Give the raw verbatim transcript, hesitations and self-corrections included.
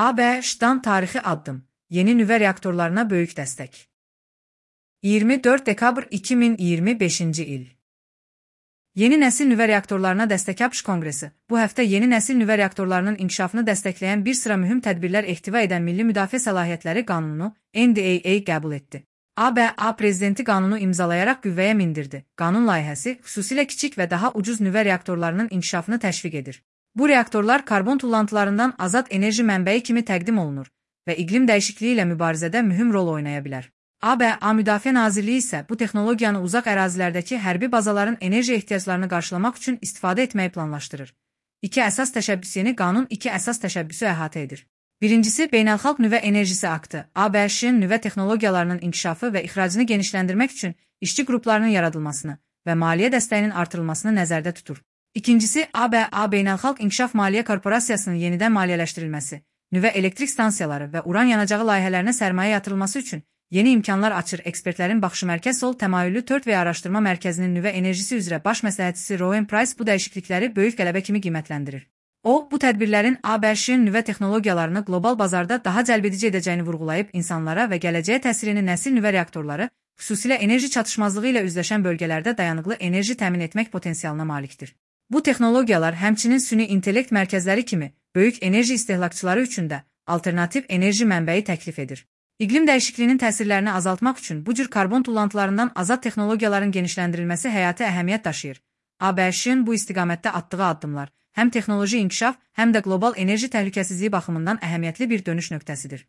A B Ş'dan tarixi addım. Yeni nüvə reaktorlarına böyük dəstək. iyirmi dörd dekabr iki min iyirmi beşinci il. Yeni nəsil nüvə reaktorlarına dəstək ABŞ Konqresi bu həftə yeni nəsil nüvə reaktorlarının inkişafını dəstəkləyən bir sıra mühüm tədbirlər ehtiva edən Milli Müdafiə Səlahiyyətləri Qanunu N D A A qəbul etdi. A B A prezidenti qanunu imzalayaraq qüvvəyə mindirdi. Qanun layihəsi xüsusilə kiçik və daha ucuz nüvə reaktorlarının inkişafını təşviq edir. Bu reaktorlar karbon tullantılarından azad enerji mənbəyi kimi təqdim olunur və iqlim dəyişikliyi ilə mübarizədə mühüm rol oynaya bilər. A B A Müdafiə Nazirliyi isə bu texnologiyanı uzaq ərazilərdəki hərbi bazaların enerji ehtiyaclarını qarşılamaq üçün istifadə etməyi planlaşdırır. İki əsas təşəbbüs yeni qanun iki əsas təşəbbüsü əhatə edir. Birincisi, Beynəlxalq Nüvə Enerjisi Aktı, A B Ş-in nüvə texnologiyalarının inkişafı və ixracını genişləndirmək üçün işçi qruplarının yaradılmasını və maliyyə dəstəyinin artırılmasını nəzərdə tutur. İkincisi, A B A Beynəlxalq İnkişaf Maliyyə Korporasiyasının yenidən maliyyələşdirilməsi, nüvə elektrik stansiyaları və uran yanacağı layihələrinə sərmayə yatırılması üçün yeni imkanlar açır. Ekspertlərin baxışı Mərkəz Sol təmayüllü dörd V Araşdırma Mərkəzinin nüvə enerjisi üzrə baş məsləhətçisi Rowan Price bu dəyişiklikləri böyük qələbə kimi qiymətləndirir. O, bu tədbirlərin A B Ş-in nüvə texnologiyalarını qlobal bazarda daha cəlbedici edəcəyini vurğulayıb, insanlara və gələcəyə təsirini nəsil nüvə reaktorları, xüsusilə enerji çatışmazlığı ilə üzləşən bölgələrdə dayanıqlı enerji təmin etmək potensialına malikdir. Bu texnologiyalar həmçinin süni intellekt mərkəzləri kimi böyük enerji istehlakçıları üçün də alternativ enerji mənbəyi təklif edir. İqlim dəyişikliyinin təsirlərini azaltmaq üçün bu cür karbon tullantılarından azad texnologiyaların genişləndirilməsi həyati əhəmiyyət daşıyır. A B Ş-in bu istiqamətdə atdığı addımlar həm texnoloji inkişaf, həm də qlobal enerji təhlükəsizliyi baxımından əhəmiyyətli bir dönüş nöqtəsidir.